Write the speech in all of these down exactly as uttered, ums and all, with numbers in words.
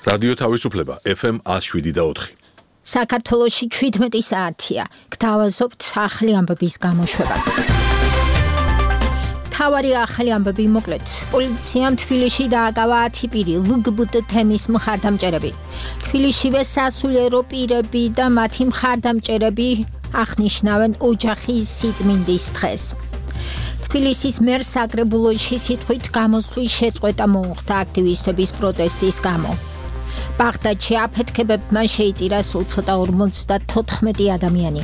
რადიო თავისუფლება ეფ ემ one oh seven point four. საქართველოში შვიდმეტი საათია. გთავაზობთ ახალი ამბების გამოშვებას. თავარი ახალი ამბები მოკლედ. პოლიციამ თბილისში დააკავა ათი პირი ელ გი ბი ტი თემის მხარდამჭერები. თბილისშივე სასულიერო პირები და მათი მხარდამჭერები აღნიშნავენ ოჯახის სიწმინდის დღეს. თბილისის მერს საკრებულოში სიტყვით გამოსვლის შეწყვეტა მოუხდა აქტივისტების პროტესტის გამო. ბაღდადში აფეთქებებმა შეიწირა სულ ცოტა ორმოცდათოთხმეტი ადამიანი.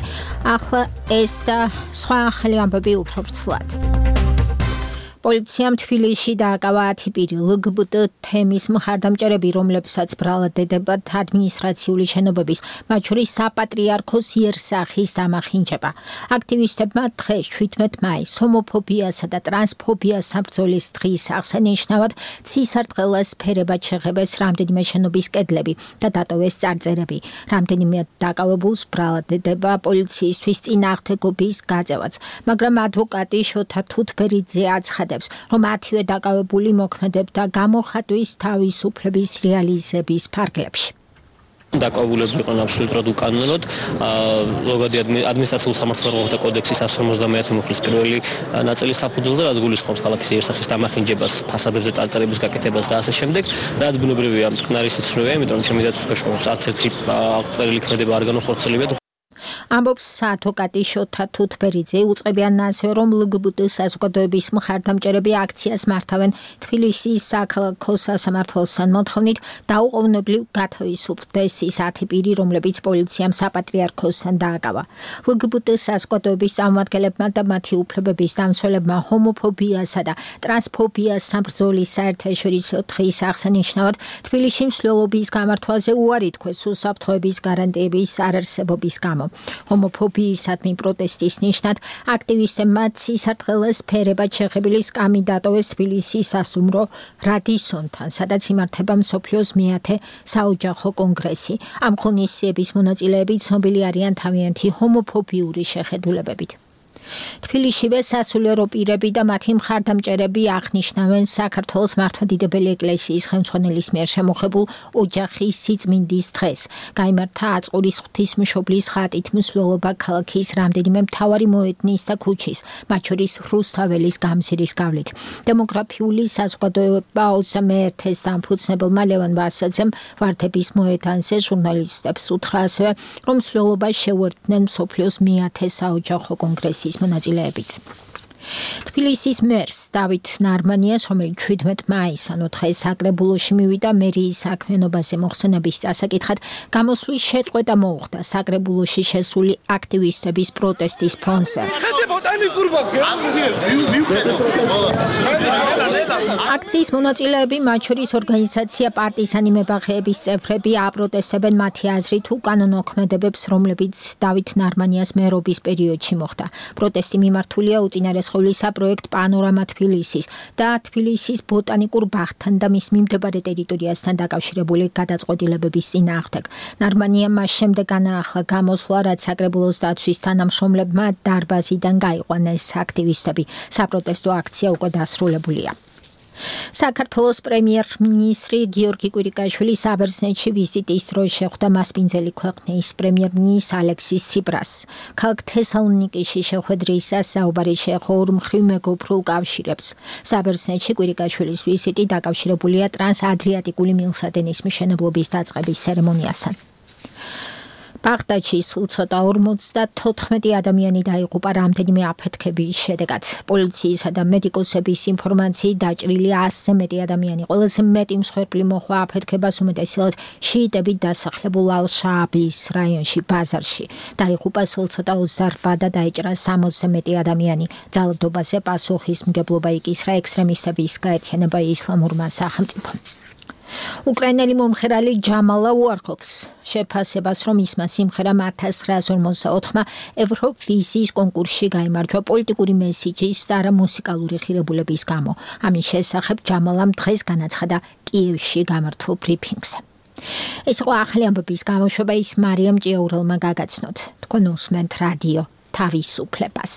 ახლა ეს და სხვა ახალი ამბები უფრო ვრცლად. პოლიციამ თბილისში დააკავა ათი პირი ელ გი ბი ტი თემის მხარდამჭერები, რომლებსაც ბრალად ედებათ ადმინისტრაციული შენობების, მათ შორის საპატრიარქოს იერსახის დამახინჯება. აქტივისტებმა დღეს შვიდმეტ მაისს ჰომოფობიასა და ტრანსფობიას საბრძოლის დღის აღსანიშნავად ცისარტყელას ფერებად შეღებეს რამდენიმე შენობის კედლები და დატოვეს წარწერები. რამდენიმე დაკავებულს ბრალად ედება პოლიციისთვის წინააღმდეგობის გაწევაც, მაგრამ ადვოკატი შოთა თუთბერიძე აცხადებს, რომ ათივე დაკავებული მოქმედებდა გამოხატვის თავისუფლების რეალიზების ფარგლებში. დაკავებულები იყვნენ აბსოლუტურად უკანონოდ. ზოგადი ადმინისტრაციულ სამართლებრივთა კოდექსის one seventy-one მუხლის პირველი ნაწილის საფუძველზე, რაც გულისხმობს ქალაქის იერსახის დამახინჯებას, ფასადებზე წარწერების გაკეთებას და ასე შემდეგ, რაც ბუნებრივია, მტკნარი სიცრუეა, იმიტომ რომ ჩემი დაცვის ქვეშ არც ერთი წერილი ქმედება არ განახორციელებიათ. ამბობს ადვოკატი შოთა თუთბერიძე. უწყებიან ასევე, რომ ელ გი ბი ტი საზოგადოების მხარდამჭერები აქციას მართავენ თბილისის საქალაქო სასამართლოსთან მოთხოვნით დაუყოვნებლივ გათავისუფლდეს ის ათი პირი, რომლებიც პოლიციამ საპატრიარქოსთან დააკავა. ელ გი ბი ტი საზოგადოების წარმომადგენლებმა და მათი უფლებების დამცველებმა ჰომოფობიასა და ტრანსფობიას საბრძოლის საერთაშორისო დღის აღსანიშნავად თბილისში მსვლელობის გამართვაზე უარი თქვეს უსაფრთხოების გარანტიების არარსებობის გამო. ჰომოფობიისადმი პროტესტის ნიშნად აქტივისტებმა ცისარტყელას ფერებად შეღებილი სკამი დატოვეს თბილისის სასტუმრო რადისონთან, სადაც იმართება მსოფლიოს მეათე საოჯახო კონგრესი. ამ ღონისძიების მონაწილეები ცნობილი არიან თავიანთი ჰომოფობიური შეხედულებებით. თბილისშივე სასულიერო პირები და მათი მხარდამჭერები აღნიშნავენ საქართველოს მართლმადიდებელი ეკლესიის ხელმძღვანელის მიერ შემოღებულ ოჯახის სიწმინდის დღეს. გაიმართა აწყურის ღვთისმშობლის ხატით მსვლელობა ქალაქის რამდენიმე მთავარი მოედნის და ქუჩის, მათ შორის რუსთაველის გამზირის გავლით. დემოგრაფიული საზოგადოება ოცდამე ერთის დამფუძნებელმა ლევან ვასაძემ ვარდების მოედანზე ჟურნალისტებს უთხრა ასევე, რომ მსვლელობას შეუერთდნენ მსოფლიოს მეათე საოჯახო კონგრესის მონაწილეებიც. თბილისის მერს დავით ნარმანიას, რომელიც შვიდმეტ მაისს, ანუ დღეს საკრებულოში მივიდა მერიის საქმიანობაზე მოხსენების წასაკითხად, გამოსვლის შეწყვეტა მოუხდა საკრებულოში შესული აქტივისტების პროტესტის ფონზე. აქციის მონაწილეები, მათ შორის ორგანიზაცია პარტიზანი მებაღეების წევრები, აპროტესტებენ მათი აზრით უკანონო ქმედებებს, რომლებიც დავით ნარმანიას მერობის პერიოდში მოხდა. პროტესტი მიმართულია უწინარესხევლისა პროექტ პანორამა თბილისის და თბილისის ბოტანიკურ ბაღთან და მის მიმდებარე ტერიტორიასთან დაკავშირებული გადაწყვეტილებების წინააღმდეგ. ნარმანიამ მას შემდეგ განაახლა გამოსვლა, რაც საკრებულოს დაცვის თანამშრომლებმა დარბაზიდან გაიყვანეს აქტივისტები. საპროტესტო აქცია უკვე დასრულებულია. საქართველოს პრემიერ-მინისტრი გიორგი კვირიკაშვილი საბერძნეთში ვიზიტის დროს შეხვდა მასპინძელი ქვეყნის პრემიერ-მინისტრ ალექსის ციპრასს. ქალაქ თესალონიკიში შეხვედრისას საუბარი შეეხო ორმხრივ მეგობრულ კავშირებს. საბერძნეთში კვირიკაშვილის ვიზიტი დაკავშირებულია ტრანსადრიატიკული მილსადენის მშენებლობის დაწყების ცერემონიასთან. ბაღდადში სულ ცოტა ორმოცდათოთხმეტი ადამიანი დაიღუპა რამდენიმე აფეთქების შედეგად. პოლიციისა და მედიკოსების ინფორმაციით დაჭრილი ასზე მეტი ადამიანი. ყველაზე მეტი მსხვერპლი მოჰყვა აფეთქებას უმეტესად შიიტებით დასახლებულ ალ-შააბის რაიონში, ბაზარში. დაიღუპა სულ ცოტა ოცდარბዓ და დაიჭრა სამოცზე მეტი ადამიანი. ძალადობაზე პასუხისმგებლობა იკისრა ექსტრემისტების გაერთიანება ისლამურმა სახელმწიფომ. უკრაინელი მომღერალი ჯამალა უარყოფს შეფასებას, რომ ისმა სიმღერამ one thousand nine hundred forty-ოთხმა ევროვიზიის კონკურსში გაიმარჯვა პოლიტიკური მესიჯის და არა მუსიკალური ღირებულების გამო. ამის შესახებ ჯამალამ დღეს განაცხადა კიევში გამართულ ბრიფინგზე. ეს იყო ახალი ამბების გამოშვება, ის მარიამ ჭიაურელმა გაგაცნოთ. თქვენ უსმენთ რადიო თავისუფლებას.